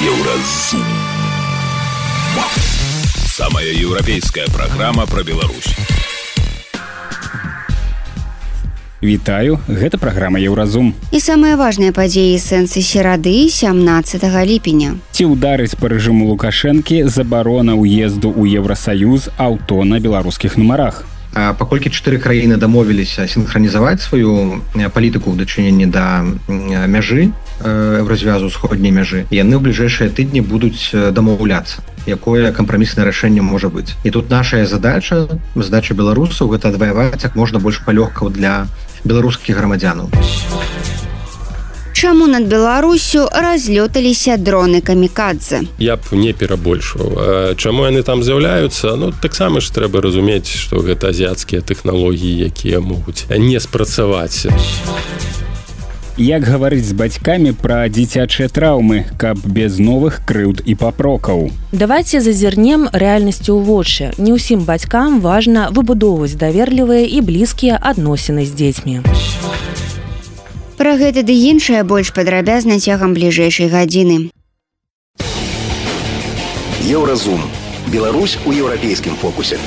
Еўразум. Самая еўрапейская праграма пра Беларусь. Вітаю, гэта праграма Еўразум. І самыя важныя падзеі сэнсы серады 17 ліпеня. Ці ўдарыць па рэжыму Лукашэнкі забарона ўезду ў Еўрасаюз аўто на беларускіх нумарах. Паколькі 4 краіны дамовіліся сінхранізаваць сваю палітыку ў дачыненні да мяжы Еўразвязу, усходняй мяжы, яны ў бліжэйшыя тыдні будуць дамаўляцца, якое кампраміснае рашэнне можа быць. І тут наша задача беларусаў, гэта адваяваць як можна больш палёгкаў для беларускіх грамадзянаў. Чаму над Беларусю разлёталіся дроны камікадзе? Я б не перабольшваў. Чаму яны там з'яўляюцца? Таксама ж трэба разумець, што гэта азіяцкія тэхналогіі, якія могуць не спрацаваць. Як гаварыць з бацькамі пра дзіцячыя траўмы, каб без новых крыўд і папрокаў? Давайце зазірнем рэальнасцю ў вочы. Не ўсім бацькам важна выбудоўваць даверлівыя і блізкія адносіны з дзецьмі. Пра гэта ды іншае больш падрабязна цягам бліжэйшай гадзіны. Еўразум. Беларусь у еўрапейскім фокусе.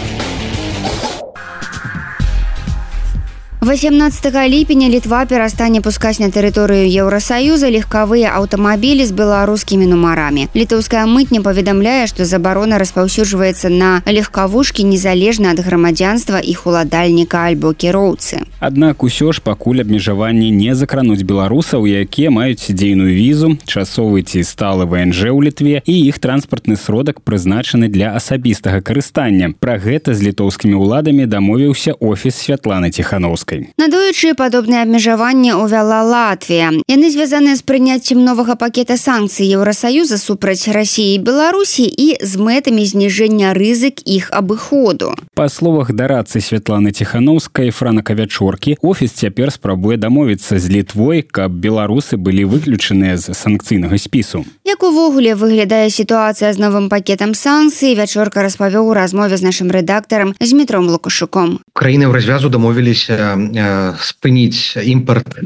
18 ліпеня Літва перастане пускаць на тэрыторыю Еўрасаюза легкавыя аўтамабілі з беларускімі нумарамі. Літоўская мытня паведамляе, што забарона распаўсюджваецца на легкавушкі незалежна ад грамадзянства іх уладальніка альбо кіроўцы. Аднак усё ж пакуль абмежаванні не закрануць беларусаў, якія маюць дзейную візу, часовы ці сталы ВНЖ ў Літве і іх транспартны сродак прызначаны для асабістага карыстання. Пра гэта з літоўскімі ўладамі дамовіўся офіс Святланы Ціханаўскай. Надоечы падобныя абмежаванні ўвяла Латвія. Яны звязаныя з прыняццем новага пакета санкцый Еўрасаюза супраць Расіі і Беларусі і з мэтамі зніжэння рызык іх абыходу. Па словах дарадцы Святланы Ціханаўскай Франака Вячоркі, офіс цяпер спрабуе дамовіцца з Літвой, каб беларусы былі выключаныя з санкцыйнага спісу. Як увогуле выглядае сітуацыя з новым пакетам санкцый, Вячорка распавёў у размове з нашым рэдактарам Змітром Лукашуком. Краіны Еўразвязу дамовіліся спыніць імпорт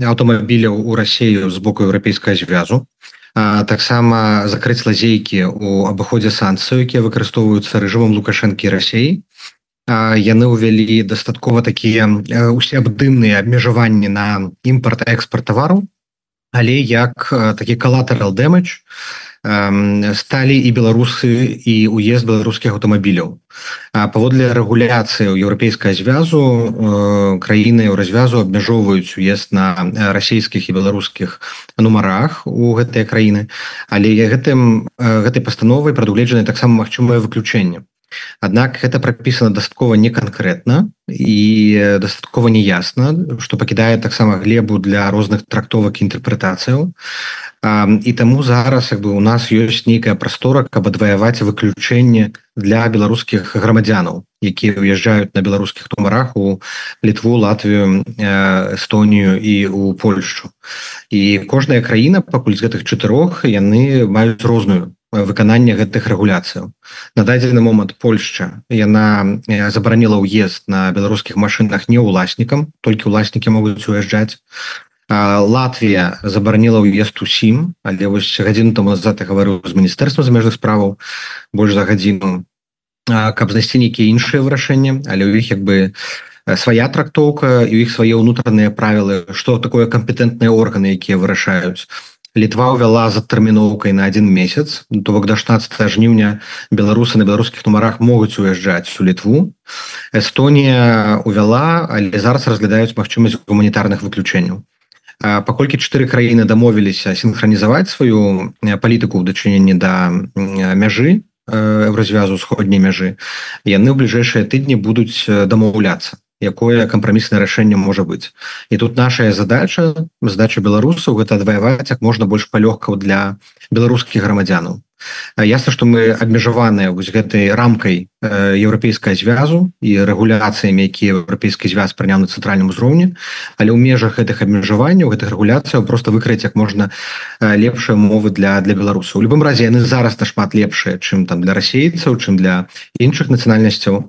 аўтамабіляў у Расію з боку еўрапейскага звязу, таксама закрыць лазейкі ў абыходзе санкцый, якія выкарыстоўваюцца рэжымам Лукашэнкі і Расіі. Яны ўвялі дастаткова такія усеабдымныя абмежаванні на імпорт і экспорт тавараў, але як такі collateral damage сталі і беларусы і уезд беларускіх аўтамабіляў. Паводле рэгуляцыі еўрапейскага звязу краіны Еўразвязу абмяжоўваюць уезд на расійскіх і беларускіх нумарах у гэтыя краіны, але гэтай пастановай прадугледжаны таксама магчымае выключэнне. Аднак гэта прапісана дастаткова неканкрэтна і дастаткова неясна, што пакідае таксама глебу для розных трактовак і інтэрпрэтацыяў. І таму зараз у нас ёсць нейкая прастора, каб адваяваць выключэнне для беларускіх грамадзянаў, якія ўязджаюць на беларускіх нумарах у Літву, Латвію, Эстонію і у Польшчу. І кожная краіна, пакуль з гэтых 4, яны маюць розную выкананне гэтых рэгуляцыяў. На дадзены момант Польшча, яна забараніла ўезд на беларускіх машынах не ўласнікам, толькі ўласнікі могуць уязджаць. Латвія забараніла ўезд усім, але вось гадзіну таму назад я гаварыў з міністэрствам замежных справаў больш за гадзіну, каб знайсці нейкія іншыя вырашэнні, але ў іх свая трактоўка і ў іх свае ўнутраныя правілы, што такое кампетэнтныя органы, якія вырашаюць. Літва ўвяла з адтэрміноўкай на 1 месяц, то бок да 16 жніўня беларусы на беларускіх нумарах могуць уязджаць у Літву. Эстонія ўвяла, але зараз разглядаюць магчымасць гуманітарных выключэнняў. Паколькі 4 краіны дамовіліся сінхранізаваць сваю палітыку ў дачыненні да мяжы Еўразвязу, усходняй мяжы, яны ў бліжэйшыя тыдні будуць дамаўляцца, якое кампраміснае рашэнне можа быць. І тут наша задача беларусаў, гэта адваяваць як можна больш палёгкаў для беларускіх грамадзянаў. Ясна, што мы абмежаваныя вось гэтай рамкай еўрапейскага звязу і рэгуляцыямі, якія еўрапейскі звяз прыняў на цэнтральным узроўні, але ў межах гэтых абмежаванняў, гэтых рэгуляцыяў проста выкрыць як можна лепшыя умовы для беларусаў. У любым разе яны зараз нашмат лепшыя, чым там для расейцаў, чым для іншых нацыянальнасцяў.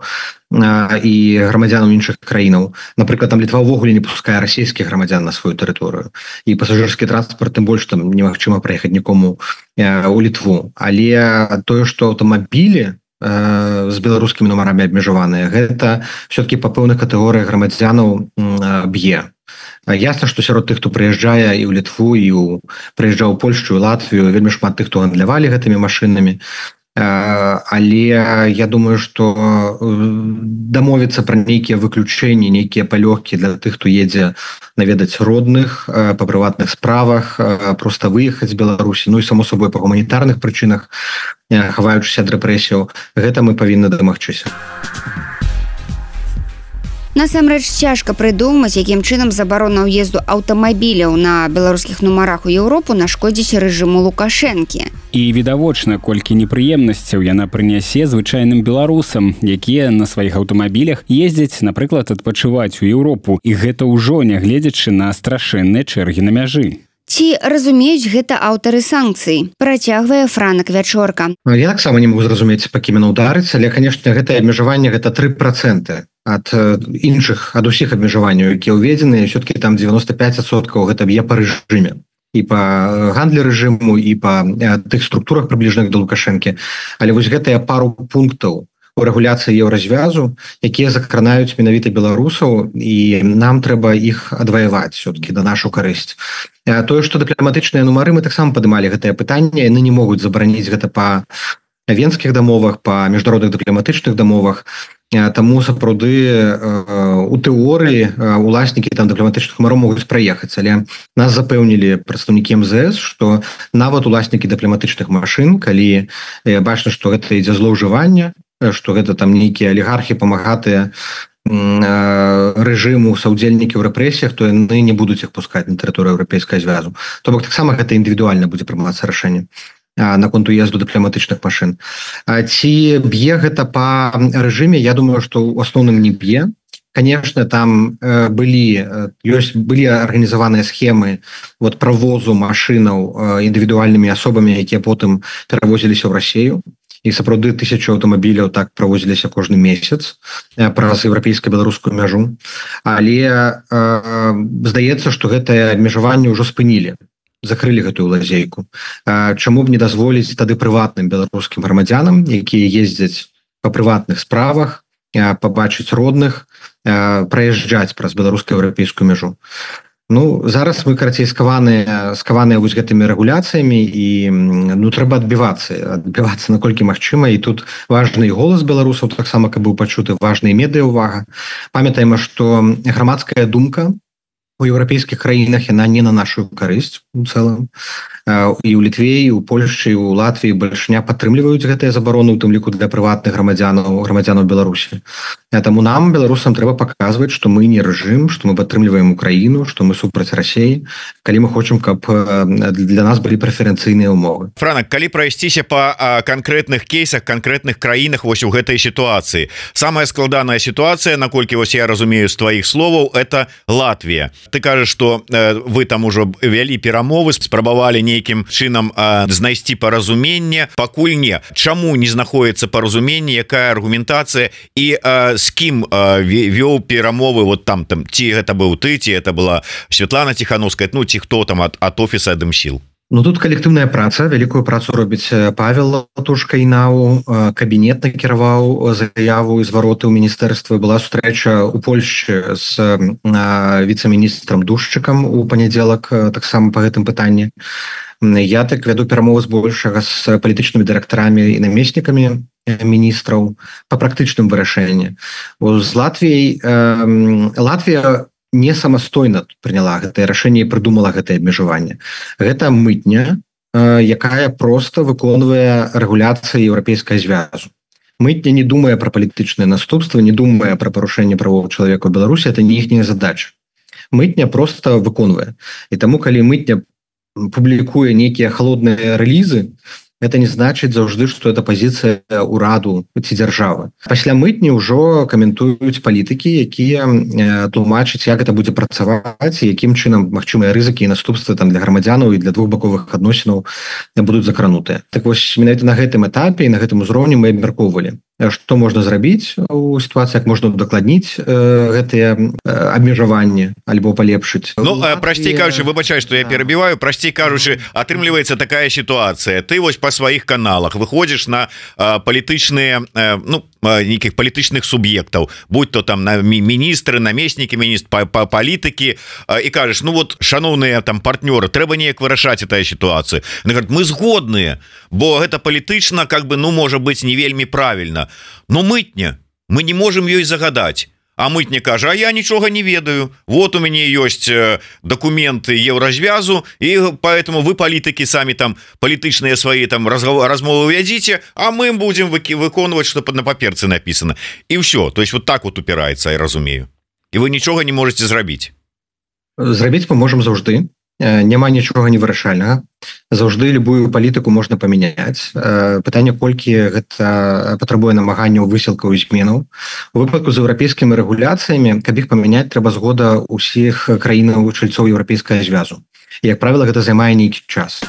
і грамадзянаў іншых краінаў. Напрыклад, там Літва ўвогуле не пускае расійскіх грамадзян на сваю тэрыторыю. І пасажырскі транспорт, тым больш там немагчыма праехаць нікому у Літву. Але тое, што аўтамабілі з беларускімі нумарамі абмежаваныя, гэта все-таки па пэўных катэгорыях грамадзянаў б'е. Ясна, што сярод тых, хто прыязджае і ў Літву, і прыязджаў у Польшчу, і Латвію, вельмі шмат тых, хто гандлявалі гэтымі машынамі. Але я думаю, што дамовіцца пра нейкія выключэнні, нейкія палёгкі для тых, хто едзе наведаць родных па прыватных справах, проста выехаць з Беларусі, ну і само собой па гуманітарных прычынах, хаваючыся ад рэпрэсіяў, гэта мы павінны дамагчыся. Насамрэч цяжка прыдумаць, якім чынам забарона ўезду аўтамабіляў на беларускіх нумарах у Еўропу нашкодзіць рэжыму Лукашэнкі. І відавочна, колькі непрыемнасцяў яна прынясе звычайным беларусам, якія на сваіх аўтамабілях ездзяць, напрыклад, адпачываць у Еўропу, і гэта ўжо нягледзячы на страшэнныя чэргі на мяжы. Ці разумеюць гэта аўтары санкцый? Працягвае Франак Вячорка. Я таксама не магу зразумець, па кім яно ўдарыць, але, канешне, гэтае абмежаванне гэта 3% ад усіх абмежаванняў, якія ўведзены, все-таки там 95% гэта б'е па рэжыме. І па гандлі рэжыму, і па тых структурах прыбліжаных да Лукашэнкі. Але вось гэтыя пару пунктаў у рэгуляцыі еўразвязу, якія закранаюць менавіта беларусаў, і нам трэба іх адваяваць все-таки да нашу карысць. Тое, што дыпламатычныя нумары, мы таксама падымалі гэтае пытанне, яны не могуць забараніць гэта па венскіх дамовах, па міжнародных дыпламатычных дамовах. Таму сапраўды у тэорыі уласнікі там дыпламатычных нумароў могуць праехаць, але нас запэўнілі прадстаўнікі МЗС, што нават уласнікі дыпламатычных машын, калі бачна, што гэта ідзе злоўжыванне, што гэта там нейкія алігархі памагатыя рэжыму, саўдзельнікі ў рэпрэсіях, то яны не будуць іх пускаць на тэрыторыю Еўрапейскага звязу. То бок таксама гэта індывідуальна будзе прымацца рашэнне наконт уезду дыпламатычных машын. Ці б'е гэта па рэжыме? Я думаю, што ў асноўным не б'е. Конечно, там былі арганізаваныя схемы правозу машынаў індывідуальнымі асобамі, якія потым перавозіліся ў Расію. І сапраўды 1000 аўтамабіляў так правозіліся кожны месяц праз еўрапейска-беларускую мяжу. Але здаецца, што гэтае абмежаванне ўжо спынілі. Закрылі гэтую лазейку. Чаму б не дазволіць тады прыватным беларускім грамадзянам, якія ездзяць па прыватных справах, пабачыць родных, праязджаць праз беларуска-еўрапейскую мяжу. Ну, зараз мы, карацей, скаваныя вось гэтымі рэгуляцыямі, і трэба адбівацца наколькі магчыма, і тут важны і голас беларусаў, таксама, каб быў пачуты, важная медыяўвага. Памятаем, што грамадская думка у еўрапейскіх краінах, яна не на нашу карысць у цэлым. І ў Літве, і ў Польшчы, і ў Латвіі бальшыня падтрымліваюць гэтыя забароны, у тым ліку для прыватных грамадзянаў Беларусі. Таму нам, беларусам, трэба паказваць, што мы не рэжым, што мы падтрымліваем Украіну, што мы супраць Расіі, калі мы хочам, каб для нас былі прэферэнцыйныя ўмовы. Франак, калі прайсціся па канкрэтных кейсах, канкрэтных краінах вось у гэтай сітуацыі. Самая складаная сітуацыя, наколькі вось я разумею з тваіх словаў, это Латвія. Ты кажаш, што вы там ужо вялі перамовы, спрабавалі нейкім чынам знайсці паразуменне, пакуль не. Чаму не знаходіцца паразуменне, якая аргументацыя, і з кім вёў перамовы вот там, ці гэта быў ты, ці это была Святлана Тихановская, ну ці хто там ад офіса Дымсіл? Ну, тут калектыўная праца, вялікую працу робіць Павел Латушка-Інау, кабінет накіраваў заяву і звароты ў міністэрстве. Была сустрэча ў Польшчы з віцэ-міністрам Душчыкам у панядзелак таксама па гэтым пытанні. Я так вяду перамовы збольшага з палітычнымі дырэктарамі і намеснікамі міністраў па практычным вырашэнні. З Латвія не самастойна прыняла гэтае рашэнне і прыдумала гэтае абмежаванне. Гэта мытня, якая проста выконвае рэгуляцыі еўрапейскага звязу. Мытня не думае пра палітычныя наступствы, не думае пра парушэнне правоў чалавека ў Беларусі, это не іхняя задача. Мытня проста выконвае. І таму, калі мытня публікуе нейкія халодныя рэлізы, это не значыць заўжды, што это пазіцыя ўраду ці дзяржавы. Пасля мытні ўжо каментуюць палітыкі, якія тлумачаць, як гэта будзе працаваць, і якім чынам магчымыя рызыкі і наступствы там для грамадзянаў і для двухбаковых адносінаў будуць закранутыя. Так вось, менавіта на гэтым этапе і на гэтым узроўні мы абмяркоўвалі, што можна зрабіць у сітуацыі, як можна удакладніць гэтыя абмежаванні альбо палепшыць. Прасцей кажучы, выбачай, што я перабіваю, прасцей кажучы, атрымліваецца такая сітуацыя. Ты вось па сваіх каналах выходзіш на палітычныя, нейкіх палітычных суб'ектаў, будь то там міністры, намеснікі міністр, палітыкі, і кажаш, шаноўныя там партнёры, трэба неяк вырашаць эту сітуацыю. Мы згодныя, бо гэта палітычна, можа быць не вельмі правільна. Но мытня, мы не можем ёй загадаць. А мытня кажа, а я нічога не ведаю. Вот у мяне ёсць дакументы еўразвязу, і поэтому вы палітыкі самі там палітычныя свае там размовы вядзіце, а мы будем выконваць, што на паперцы написано. І ўсё, то есть вот так вот упіраецца, я разумею. І вы нічога не можете зрабіць. Зрабіць мы можем заўжды. Няма нічога невырашальнага. Заўжды любую палітыку можна памяняць. Пытанне, колькі гэта патрабуе намаганняў, высілкаў і зменаў. У выпадку з еўрапейскімі рэгуляцыямі, каб іх памяняць, трэба згода ўсіх краінаў чальцоў еўрапейскага звязу. І, як правіла, гэта займае нейкі час.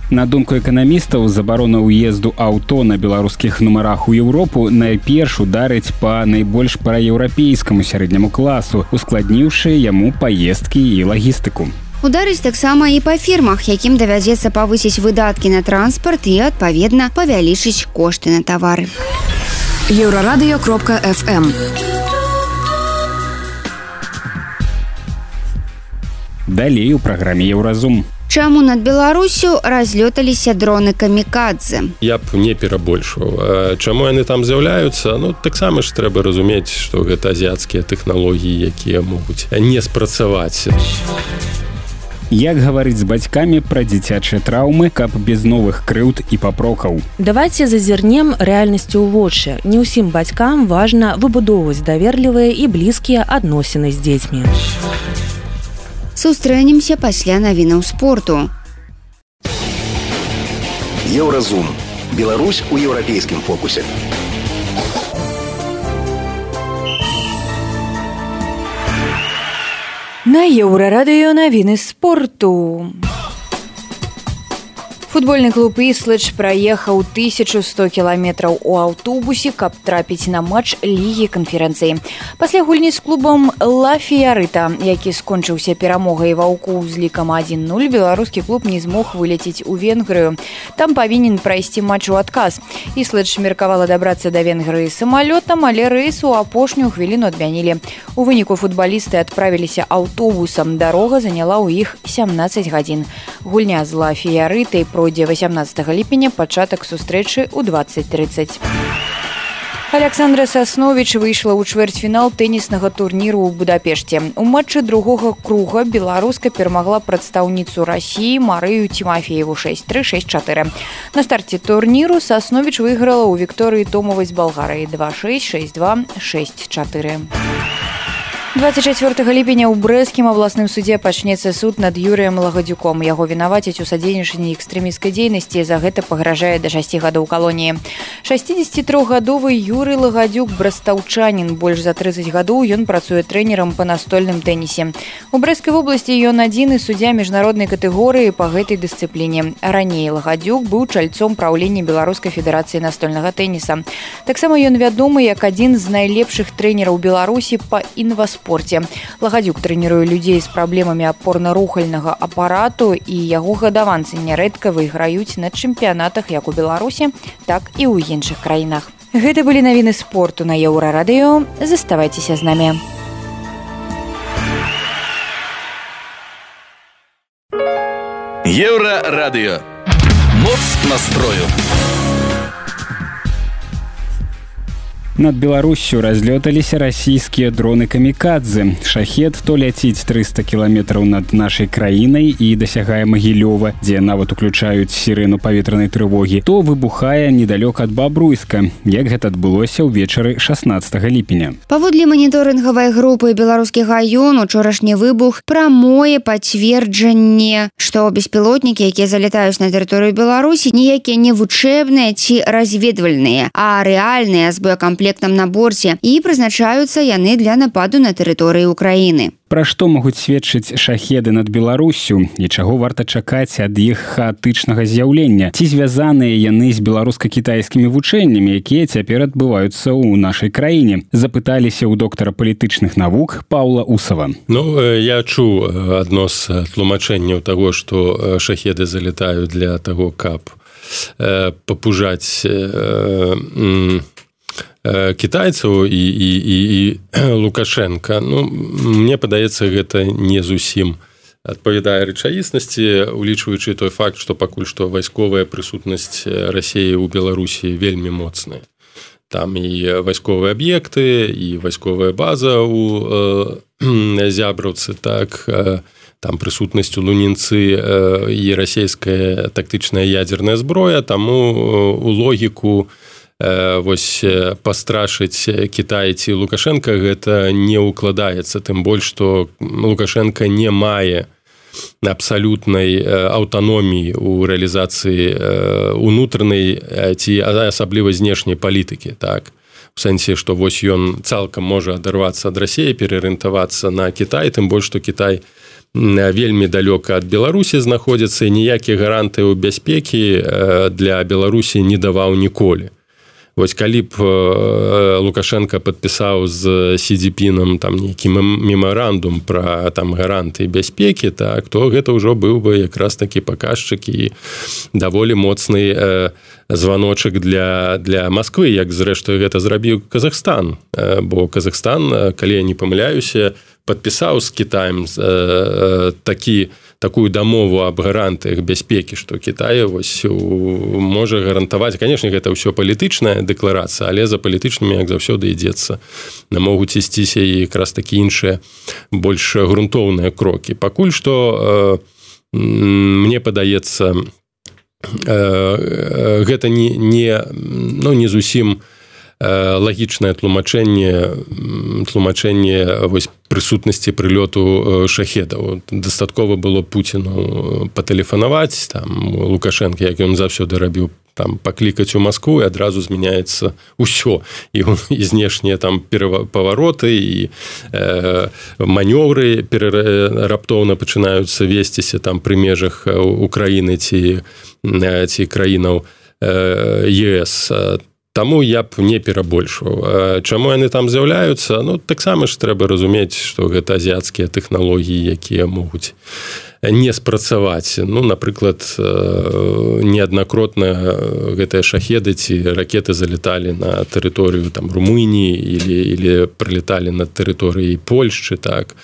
На думку эканамістаў, забарона ўезду аўто на беларускіх нумарах у Еўропу найперш ударыць па найбольш праеўрапейскаму сярэдняму класу, ускладніўшы яму паездкі і лагістыку. Ударыць таксама і па фірмах, якім давядзецца павысіць выдаткі на транспарт і, адпаведна, павялічыць кошты на тавары. Еўрарадыё.фм. Далей у праграме «Еўразум». Чаму над Беларусю разлёталіся дроны камікадзе? Я б не перабольшваў. Чаму яны там з'яўляюцца? Таксама ж трэба разумець, што гэта азіяцкія тэхналогіі, якія могуць не спрацаваць. Як гаварыць з бацькамі пра дзіцячыя траўмы, каб без новых крыўд і папрокаў? Давайце зазірнем рэальнасцю ў вочы. Не ўсім бацькам важна выбудоўваць даверлівыя і блізкія адносіны з дзецьмі. Сустрэнемся пасля навінаў спорту. Еўразум. Беларусь у еўрапейскім фокусе. На Еўрарадыё навіны спорту. Футбольны клуб «Іслэдж» праехаў 1100 кіламетраў у аўтобусе, каб трапіць на матч Лігі канферэнцыі. Пасля гульні з клубам «Ла Фіярыта», які скончыўся перамогай ваўкоў з лікам 1-0, беларускі клуб не змог вылецець у Венгрыю. Там павінен прайсці матч у адказ. «Іслэдж» меркавала дабрацца да Венгрыі самалётам, але рэйс у апошнюю хвіліну адмянілі. У выніку футбалісты адправіліся аўтобусам. Дарога заняла ў іх 17 гадзін. Гульня з «Ла Фіярытай» пройдзе 18 ліпеня, пачатак сустрэчы ў 20:30. Александра Сасновіч выйшла ў чвэрцьфінал тэніснага турніру ў Будапешце. У матчы другога круга беларуска перамагла прадстаўніцу Расіі Марыю Тимофееву 6-3, 6-4. На старце турніру Сасновіч выйграла ў Вікторыі Томавай з Балгарыі 2-6, 6-2, 6-4. 24 ліпеня ў брэсцкім абласным судзе пачнецца суд над Юрыем Лагадзюком. Яго вінавацяць у садзейнічанні экстрэмісцкай дзейнасці, за гэта пагражае да 6 гадоў калоніі. 63-гадовы Юрый Лагадзюк брастаўчанін. Больш за 30 гадоў ён працуе трэнерам па настольным тэнісе. У Брэсцкай вобласці ён адзіны суддзя міжнароднай катэгорыі па гэтай дысцыпліне. Раней Лагадзюк быў чальцом праўлення Беларускай федэрацыі настольнага тэніса. Таксама ён вядомы як адзін з найлепшых трэнераў Беларусі па інваспорце. Лагадзюк трэніруе людзей з праблемамі апорна-рухальнага апарату, і яго гадаванцы нярэдка выйграюць на чэмпіянатах як у Беларусі, так і ў іншых краінах. Гэта былі навіны спорту на Еўрарадыё. Заставайцеся з намі. Еўрарадыё. Моц настрою. Над Беларуссю разлёталіся расійскія дроны камікадзе. Шахет то ляціць 300 кіламетраў над нашай краінай і дасягае Магілёва, дзе нават уключаюць сірэну паветранай трывогі, то выбухае недалёк ад Бабруйска, як гэта адбылося ўвечары 16 ліпеня. Паводле маніторынгавай групы «Беларускі гаён» учорашні выбух прамое пацверджанне, што беспілотнікі, якія залятаюць на тэрыторыю Беларусі, ніякія не вучэбныя ці разведвальныя, а рэальныя з боекамплектамі камплектам на борце, і прызначаюцца яны для нападу на тэрыторыі Украіны. Пра што могуць сведчыць шахеды над Беларуссю і чаго варта чакаць ад іх хаатычнага з'яўлення? Ці звязаныя яны з беларуска-кітайскімі вучэннямі, якія цяпер адбываюцца ў нашай краіне? Запыталіся ў доктара палітычных навук Паўла Усава. Я чуў адно з тлумачэнняў таго, што шахеды залетаюць для таго, каб папужаць кітайцаў і Лукашенка. Мне падаецца, гэта не зусім адпавядае рэчаіснасці, улічваючы той факт, што пакуль што вайсковая прысутнасць Расіі ў Беларусі вельмі моцная. Там і вайсковыя аб'екты, і вайсковая база ў Зябраўцы, так, там прысутнасць у Лунінцы і расійская тактычная ядзерная зброя, таму у логіку вось пастрашыць Кітай ці Лукашенка гэта не ўкладаецца, тым больш, што Лукашенка не мае абсалютнай аўтаноміі ў рэалізацыі унутранай ці асабліва знешняй палітыкі, так. У сэнсе, што вось ён цалкам можа адарвацца ад Расіі, пераарыентавацца на Кітай, тым больш, што Кітай вельмі далёка ад Беларусі знаходзіцца і ніякіх гарантыяў бяспекі для Беларусі не даваў ніколі. Вось калі б Лукашенко падпісаў з Сі Цзіньпінам там нейкі мемарандум пра там гарантыі бяспекі, так, то гэта ўжо быў бы якраз такі паказчык і даволі моцны званочак для Масквы, як зрэшты гэта зрабіў Казахстан, бо Казахстан, калі я не памыляюся, падпісаў з Кітаем такую дамову аб гарантыях бяспекі, што Кітай вось можа гарантаваць. Канешне, гэта ўсё палітычная дэкларацыя, але за палітычнымі, як заўсёды, ідзецца. Могуць ісціся і якраз такі іншыя больш грунтоўныя крокі. Пакуль што, мне падаецца, гэта не зусім лагічнае тлумачэнне вось прысутнасці прылёту шахедаў. Дастаткова было Пуціну патэлефанаваць, там Лукашенко, як ён заўсёды рабіў, там паклікаць у Маскву, і адразу змяняецца ўсё. І знешнія там павароты і манёвры раптоўна пачынаюцца весціся там пры межах Украіны ці краінаў ЕС. Таму я б не перабольшваў. Чаму яны там з'яўляюцца? Таксама ж трэба разумець, што гэта азіяцкія тэхналогіі, якія могуць не спрацаваць. Напрыклад, неаднакротна гэтыя шахеды ці ракеты залеталі на тэрыторыю там Румыніі или прылеталі на тэрыторыі Польшчы, так,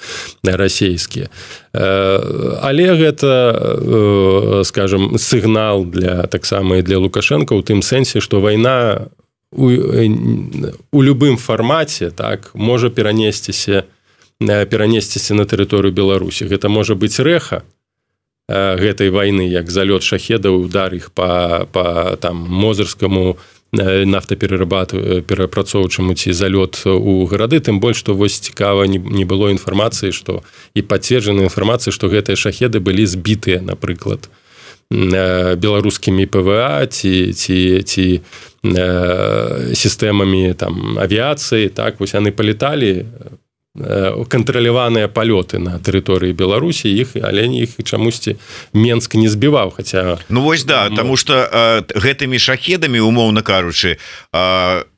расійскія. Але гэта, скажем, сігнал таксама і для Лукашенка ў тым сэнсе, што вайна у любым фармаце, так, можа перанесціся на тэрыторыю Беларусі. Гэта можа быць рэха гэтай вайны, як залёт шахедаў, удар іх па там мозырскаму нафтаперапрацоўчаму ці залёт у гарады, тым больш, што вось цікава не было інфармацыі, што і пацверджанай інфармацыі, што гэтыя шахеды былі збітыя, напрыклад, беларускімі ПВА ці сістэмамі там авіяцыі, так, вось яны палеталі, кантраляваныя палёты на тэрыторыі Беларусі, але іх чамусьці Менск не збіваў, хаця... вось да, таму што гэтымі шахедамі, умоўна кажучы,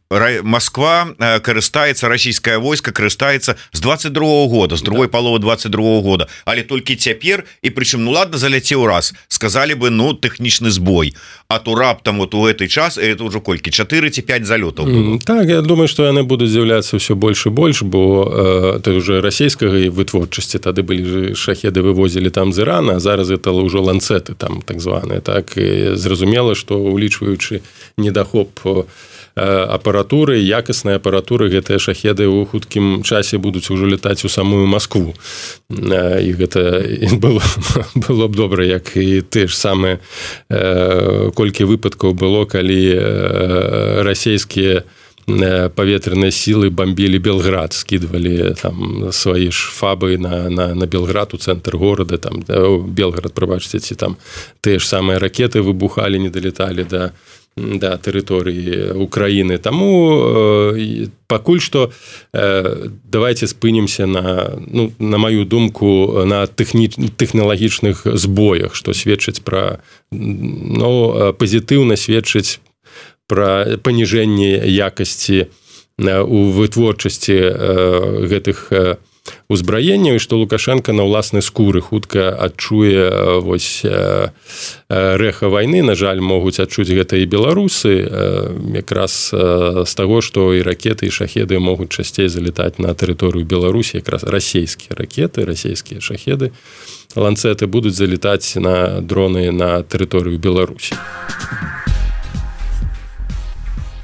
Москва карыстаецца, расійскае войска карыстаецца з 22-го года, з другой паловы 22-го года, але толькі цяпер, і прычым, ладно, заляцеў раз, сказалі бы, тэхнічны збой, а то раптам вот у гэты час, это ўжо колькі, 4 ці 5 залётаў было. Так, я думаю, што яны будуць з'яўляцца ўсё больш і больш, бо это ўжо расійскага вытворчасці, тады былі шахеды вывозілі там з Ірана, а зараз это ўжо ланцеты там так званыя, так, і зразумела, што улічваючы недахоп апаратуры, якаснай апаратуры, гэтыя шахеды ў хуткім часе будуць ужо летаць у самую Маскву. І гэта было б добра, як і те ж самыя колькі выпадкаў было, калі расійскія паветраныя сілы бомбілі Белград, скідвалі там свае ж фабы на Белград, у цэнтр горада, там Белград, прабачце, ці там тыя ж самыя ракеты выбухалі, не далеталі да да тэрыторыі Украіны. Таму пакуль што давайте спынемся на маю думку на тэхналагічных збоях, што сведчыць пра пазітыўна сведчыць пра паніжэнне якасці у вытворчасці гэтых узбраенняў, і што Лукашенко на ўласнай скуры хутка адчуе рэха вайны. На жаль, могуць адчуць гэта і беларусы, якраз з таго, што і ракеты, і шахеды могуць часцей залетаць на тэрыторыю Беларусі, якраз расійскія ракеты, расійскія шахеды, ланцеты будуць залетаць на дроны на тэрыторыю Беларусі.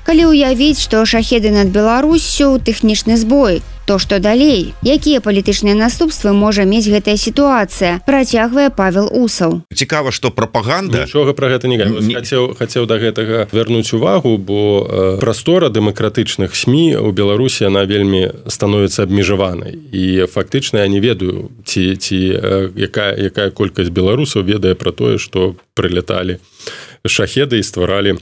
Калі ўявіць, што шахеды над Беларуссю тэхнічны збой, то што далей? Якія палітычныя наступствы можа мець гэтая сітуацыя? Працягвае Павел Усаў. Цікава, што прапаганда... Нічога пра гэта не кажу. Хацеў да гэтага вярнуць увагу, бо прастора дэмакратычных СМІ у Беларусі, она вельмі становіцца абмежаванай. І фактычна я не ведаю, якая колькасць беларусаў ведае пра тое, што прыляталі шахеды і стваралі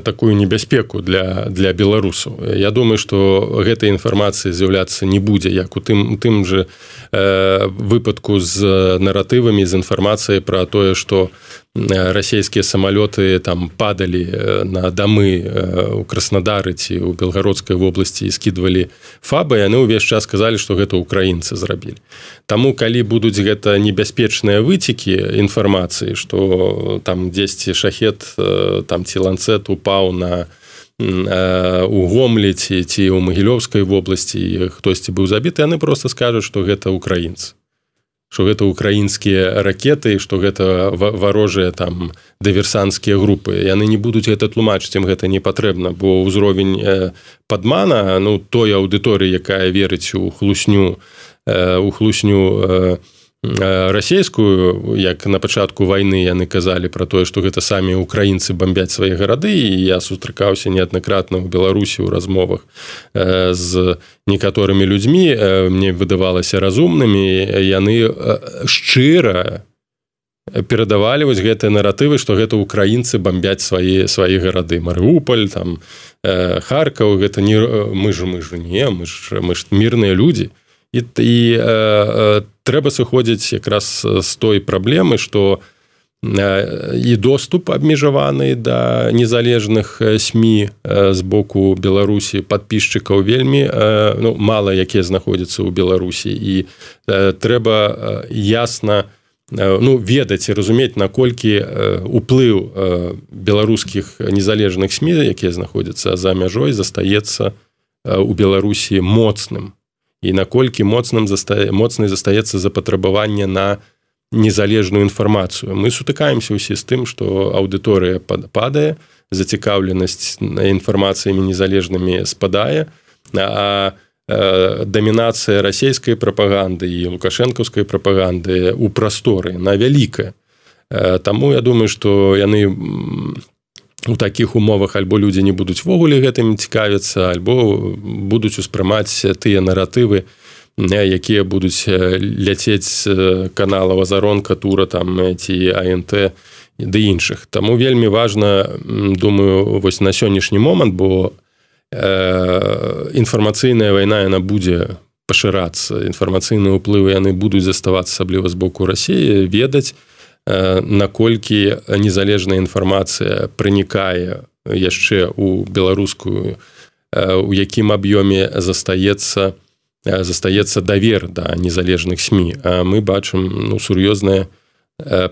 такую небяспеку для беларусаў. Я думаю, што гэтай інфармацыі з'яўляцца не будзе, як у тым же выпадку з наратывамі, з інфармацыяй пра тое, што расійскія самалёты там падалі на дамы у Краснадары ці ў Белгародскай вобласці і скідвалі фабы, яны ўвесь час сказалі, што гэта украінцы зрабілі. Таму, калі будуць гэта небяспечныя выцекі інфармацыі, што там дзесьці шахет там ці ланцет упаў у Гомлі ці ў Магілёўскай вобласці і хтосьці быў забіты, яны проста скажуць, што гэта украінцы. Што гэта украінскія ракеты, што гэта варожыя там дыверсанцкія групы. Яны не будуць гэта тлумачыць, ім гэта не патрэбна, бо ўзровень падмана, той аўдыторыі, якая верыць у хлусню расійскую, як на пачатку вайны яны казалі пра тое, што гэта самі украінцы бамбяць свае гарады, і я сустракаўся неаднакратна ў Беларусі ў размовах з некаторымі людзьмі, мне выдавалася разумнымі, яны шчыра перадавалі вось гэтыя наратывы, што гэта украінцы бамбяць свае гарады. Марыуполь, там, Харкаў, гэта не мы ж мірныя людзі. І трэба сыходзіць якраз з той праблемы, што і доступ абмежаваны да незалежных СМІ з боку Беларусі, падпісчыкаў вельмі мала, якія знаходзяцца ў Беларусі. І трэба ясна ведаць і разумець, наколькі уплыў беларускіх незалежных СМІ, якія знаходзяцца за мяжой, застаецца ў Беларусі моцным. І наколькі моцнай застаецца запатрабаванне на незалежную інфармацыю. Мы сутыкаемся ўсе з тым, што аўдыторыя падае, зацікаўленасць інфармацыямі незалежнымі спадае, а дамінацыя расійскай прапаганды і лукашэнкаўскай прапаганды ў прасторы, на вялікая. Таму я думаю, што яны у такіх умовах альбо людзі не будуць вогуле гэтым цікавіцца, альбо будуць успрымаць тыя наратывы, якія будуць ляцець з канала Азаронка, Тура там, ці АНТ ды іншых. Таму вельмі важна, думаю, вось на сённяшні момант, бо інфармацыйная вайна, яна будзе пашырацца, інфармацыйныя ўплывы яны будуць заставацца, асабліва з боку Расіі, ведаць, наколькі незалежная інфармацыя пранікае яшчэ ў беларускую, у якім аб'ёме застаецца давер да незалежных СМІ. А мы бачым сур'ёзныя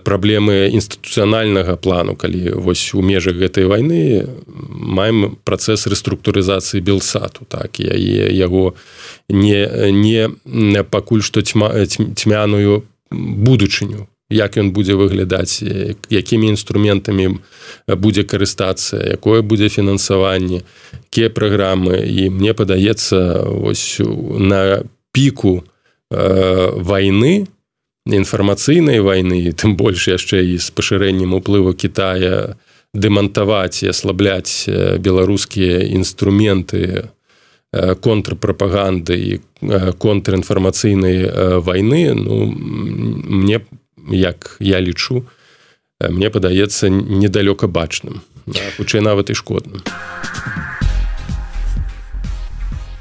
праблемы інстытуцыянальнага плану, калі вось у межах гэтай вайны маем працэс рэструктурызацыі Белсату, так, і яго не пакуль што цьмяную будучыню, як ён будзе выглядаць, якімі інструментамі будзе карыстацца, якое будзе фінансаванне, якія праграмы. І мне падаецца, вось на піку вайны, інфармацыйнай вайны, тым больш яшчэ і з пашырэннем уплыву Кітая, дэмантаваць і аслабляць беларускія інструменты контрпрапаганды і контрінфармацыйнай вайны, мне, як я лічу, мне падаецца недалёка бачным. хутчэй нават і шкодным.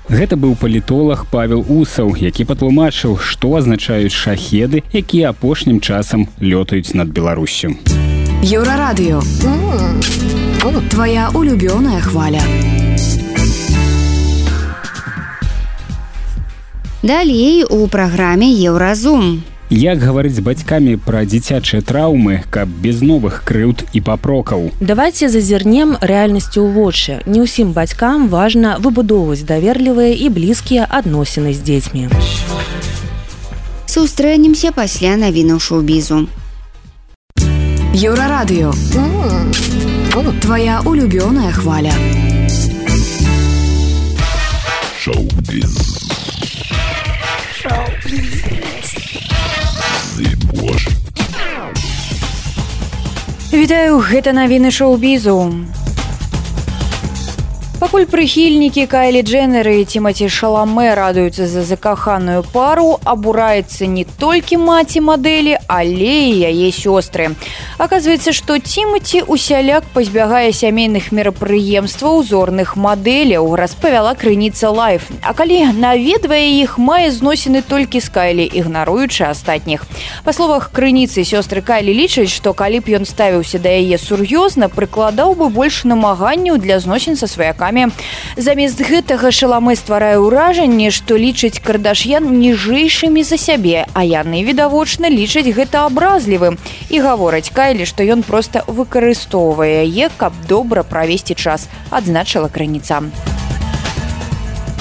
Гэта быў палітолог Павел Усаў, які патлумачыў, што азначаюць шахеды, якія апошнім часам лётаюць над Беларуссю. Еўрарадыё. Твоя улюбёная хваля. Далей у праграме Еўразум. Як гаварыць з бацькамі пра дзіцячыя траўмы, каб без новых крыўд і папрокаў? Давайте зазірнем рэальнасці ў вочы. Не ўсім бацькам важна выбудоўваць даверлівыя і блізкія адносіны з дзецьмі. Сустрэнемся пасля навінаў шоу-бізу. Еўрарадыё. Твоя улюбёная хваля. Шоу-біз. Вітаю, гэта навіны шоу-бізу. Пакуль прыхільнікі Кайлі Дженнер і Тимати Шаламэ радуюцца за закаханую пару, абураецца не толькі маці мадэлі, але і яе сёстры. Аказваецца, што Тимати усяляк пазбягае сямейных мерапрыемстваў зорных мадэляў, распавяла крыніца Лайф. А калі наведвае іх, мае зносіны толькі з Кайлі, ігнаруючы астатніх. Па словах крыніцы, сёстры Кайлі лічаць, што калі б ён ставіўся да яе сур'ёзна, прыкладаў бы больш намаганняў для зносін са сваякамі. Замест гэтага Шаламэ стварае ўражанне, што лічыць Кардашьян ніжэйшымі за сябе, а яны, відавочна, лічаць гэта абразлівым і гавораць Кайлі, што ён проста выкарыстоўвае яе, каб добра правесці час, адзначыла крыніца.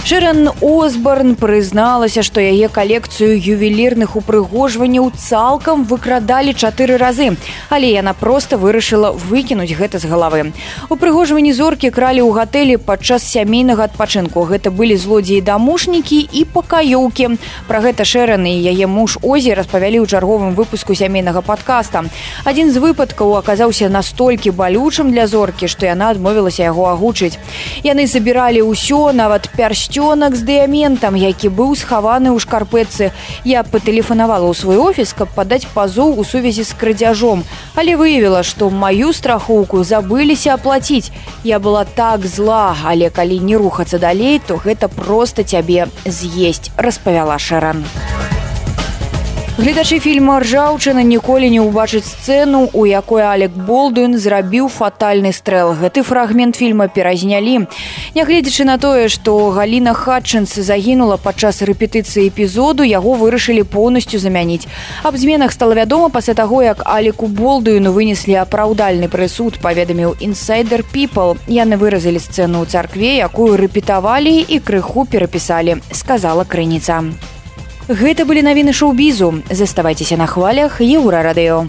Шэран Осборн прызналася, што яе калекцыю ювелірных упрыгожванняў цалкам выкрадалі 4 разы, але яна проста вырашыла выкінуць гэта з галавы. Упрыгожванні зоркі кралі ў гатэлі падчас сямейнага адпачынку. Гэта былі злодзеі-дамушнікі і пакаёўкі. Пра гэта Шэран і яе муж Озі распавялі ў чарговым выпуску сямейнага падкаста. Адзін з выпадкаў аказаўся настолькі балючым для зоркі, што яна адмовілася яго агучыць. Яны забіралі ўсё, нават пярсцёнак з дыяментам, які быў схаваны ў шкарпэтцы. Я патэлефанавала ў свой офіс, каб падаць пазоў у сувязі з крадзяжом, але выявіла, што маю страхоўку забыліся аплаціць. Я была так зла, але калі не рухацца далей, то гэта проста цябе з'есць, распавяла Шэран. Гледачы фільма «Ржаўчына» ніколі не ўбачыць сцэну, у якой Алек Болдуін зрабіў фатальны стрэл. Гэты фрагмент фільма перазнялі. Нягледзячы на тое, што Галіна Хатчынс загінула падчас рэпетыцыі эпізоду, яго вырашылі поўнасцю замяніць. Аб зменах стала вядома пасля таго, як Алеку Болдуіну вынеслі апраўдальны прысуд, паведаміў Insider People. Яны выразалі сцэну ў царкве, якую рэпетавалі і крыху перапісалі, сказала крыніца. Гэта былі навіны шоу-бізу. Заставайцеся на хвалях Еўрарадыё.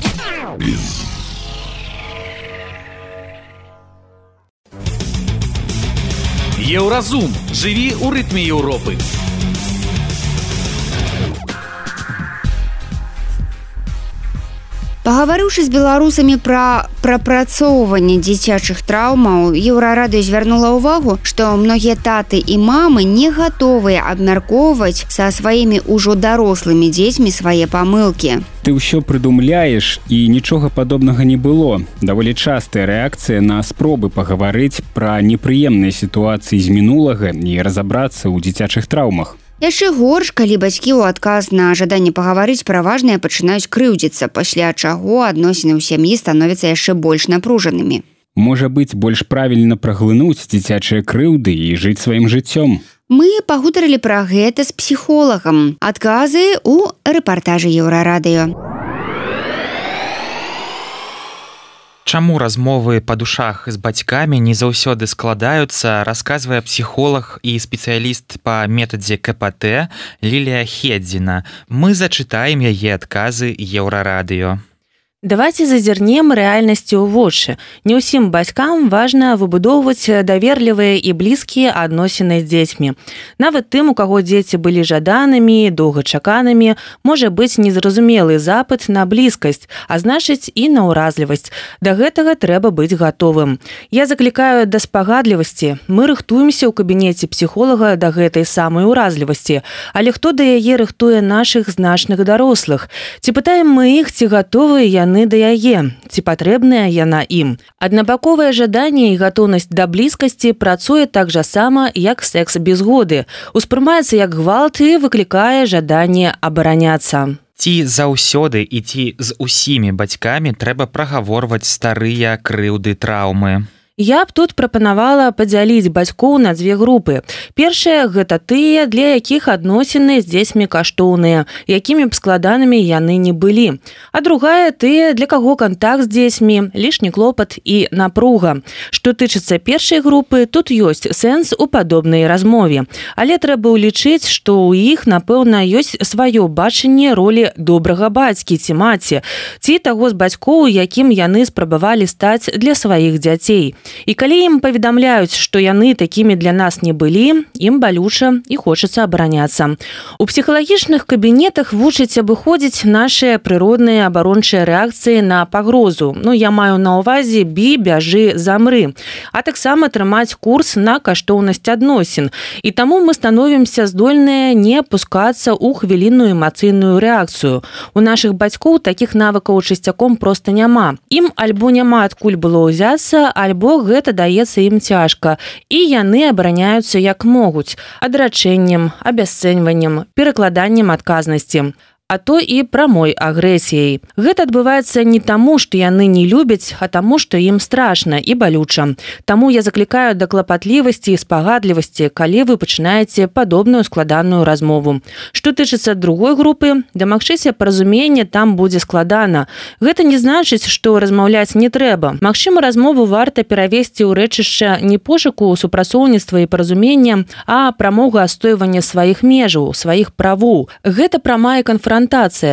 Еўразум. Жыві ў рытме Еўропы. Пагаварыўшы з беларусамі пра прапрацоўванне дзіцячых траўмаў, Еўрарадыё звярнула ўвагу, што многія таты і мамы не гатовыя абмяркоўваць са сваімі ўжо дарослымі дзецьмі свае памылкі. Ты ўсё прыдумляеш, і нічога падобнага не было. Даволі частая рэакцыя на спробы пагаварыць пра непрыемныя сітуацыі з мінулага і разабрацца ў дзіцячых траўмах. Яшчэ горш, калі бацькі ў адказ на жаданне пагаварыць пра важнае пачынаюць крыўдзіцца, пасля чаго адносіны ў сям'і становяцца яшчэ больш напружанымі. Можа быць, больш правільна праглынуць дзіцячыя крыўды і жыць сваім жыццём. Мы пагутарылі пра гэта з псіхолагам. Адказы ў рэпартажы Еўрарадыё. Чаму размовы па душах з бацькамі не заўсёды складаюцца, расказвае псіхолог і спецыяліст па метадзе КПТ Лілія Хедзіна. Мы зачытаем яе адказы Еўрарадыё. Давайте зазірнем рэальнасці ў вочы. Не ўсім бацькам важна выбудоўваць даверлівыя і блізкія адносіны з дзецьмі. Нават тым, у каго дзеці былі жаданымі, доўгачаканымі, можа быць незразумелы запыт на блізкасць, а значыць і на ўразлівасць. Да гэтага трэба быць гатовым. Я заклікаю да спагадлівасці. Мы рыхтуемся ў кабінеце псіхолага да гэтай самай уразлівасці. Але хто да яе рыхтуе нашых значных дарослых? Ці пытаем мы іх, ці гатовыя яны яны да яе, ці патрэбная яна ім. Аднабаковае жаданне і гатоўнасць да блізкасці працуе так жа сама, як секс без згоды. Успрымаецца як гвалт і выклікае жаданне абараняцца. Ці заўсёды і ці з усімі бацькамі трэба прагаворваць старыя крыўды, траўмы? Я б тут прапанавала падзяліць бацькоў на дзве групы. Першая – гэта тыя, для якіх адносіны з дзецьмі каштоўныя, якімі б складанымі яны не былі. А другая – тыя, для каго кантакт з дзецьмі, лішні клопат і напруга. Што тычыцца першай групы, тут ёсць сэнс у падобнай размове. Але трэба ўлічыць, што ў іх, напэўна, ёсць сваё бачанне ролі добрага бацькі ці маці, ці таго з бацькоў, якім яны спрабавалі стаць для сваіх дзяцей. І калі ім паведамляюць, што яны такімі для нас не былі, ім балюча і хочацца абараняцца. У псіхалагічных кабінетах вучаць абыходзіць нашыя прыродныя абарончыя рэакцыі на пагрозу. Я маю на ўвазе бі, бяжы, замры. А таксама трымаць курс на каштоўнасць адносін. І таму мы становімся здольныя не апускацца ў хвілінную эмацыйную рэакцыю. У нашых бацькоў такіх навыкаў часцяком проста няма. Ім альбо няма адкуль было ўзяцца, альбо гэта даецца ім цяжка, і яны абараняюцца як могуць, адрачэннем, абясцэньваннем, перакладаннем адказнасці. А то і прамой агрэсіяй. Гэта адбываецца не таму, што яны не любяць, а таму, што ім страшна і балюча. Таму я заклікаю да клапатлівасці і спагадлівасці, калі вы пачынаеце падобную складаную размову. Што тычыцца другой групы, дамагчыся паразумення там будзе складана. Гэта не значыць, што размаўляць не трэба. Магчыма, размову варта перавесці ў рэчышча не пошуку супрацоўніцтва і паразумення, а прамога адстойвання сваіх межаў, сваіх правоў. Гэта прамая канфронтацыя.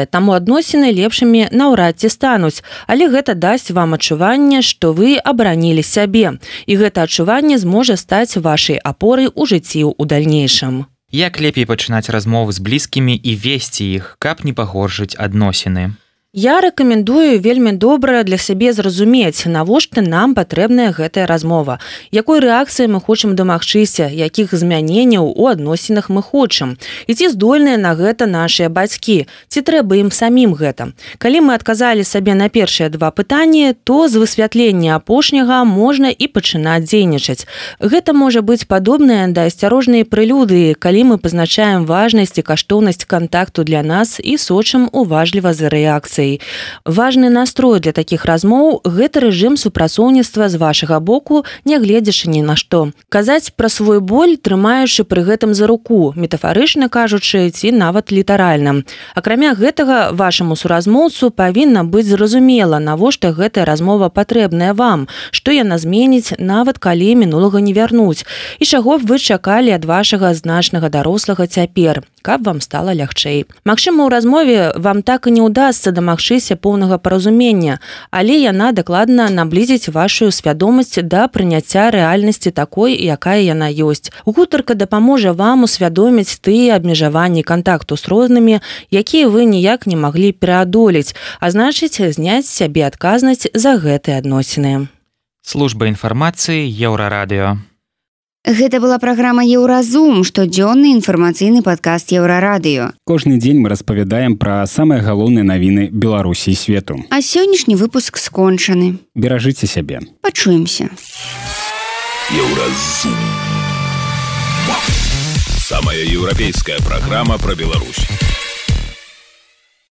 Таму адносіны лепшымі наўрад ці стануць, але гэта дасць вам адчуванне, што вы абаранілі сябе, і гэта адчуванне зможа стаць вашай апорай у жыцці ў дальнейшым. Як лепей пачынаць размовы з блізкімі і весці іх, каб не пагоршыць адносіны? Я рэкамендую вельмі добра для сябе зразумець, навошта нам патрэбная гэтая размова, якой рэакцыі мы хочам дамагчыся, якіх змяненняў у адносінах мы хочам, і ці здольныя на гэта нашыя бацькі, ці трэба ім самім гэта. Калі мы адказалі сабе на першыя два пытанні, то з высвятлення апошняга можна і пачынаць дзейнічаць. Гэта можа быць падобнае да асцярожнай прэлюдыі, калі мы пазначаем важнасць і каштоўнасць кантакту для нас і сочым уважліва за рэакцыяй. Важны настрой для такіх размоў – гэта рэжым супрацоўніцтва з вашага боку, нягледзячы ні на што. Казаць пра свой боль, трымаючы пры гэтым за руку, метафарычна кажучы, ці нават літаральна. Акрамя гэтага, вашаму суразмоўцу павінна быць зразумела, навошта гэтая размова патрэбная вам, што яна зменіць, нават калі мінулага не вярнуць, і чаго б вы чакалі ад вашага значнага дарослага цяпер, каб вам стала лягчэй. Магчыма, у размове вам так і не ўдасца дамагчыся поўнага паразумення, але яна дакладна наблізіць вашу свядомасць да прыняцця рэальнасці такой, якая яна ёсць. Гутарка дапаможа вам усвядоміць тыя абмежаванні кантакту з рознымі, якія вы ніяк не маглі пераадолець, а значыць, зняць з сябе адказнасць за гэтыя адносіны. Служба інфармацыі Еўрарадыё. Гэта была праграма «Еўразум», штодзённы інфармацыйны падкаст Еўрарадыё. Кожны дзень мы распавядаем пра самыя галоўныя навіны Беларусі і свету. А сённяшні выпуск скончаны. Беражыце сябе. Пачуемся. Еўразум. Самая еўрапейская праграма пра Беларусь.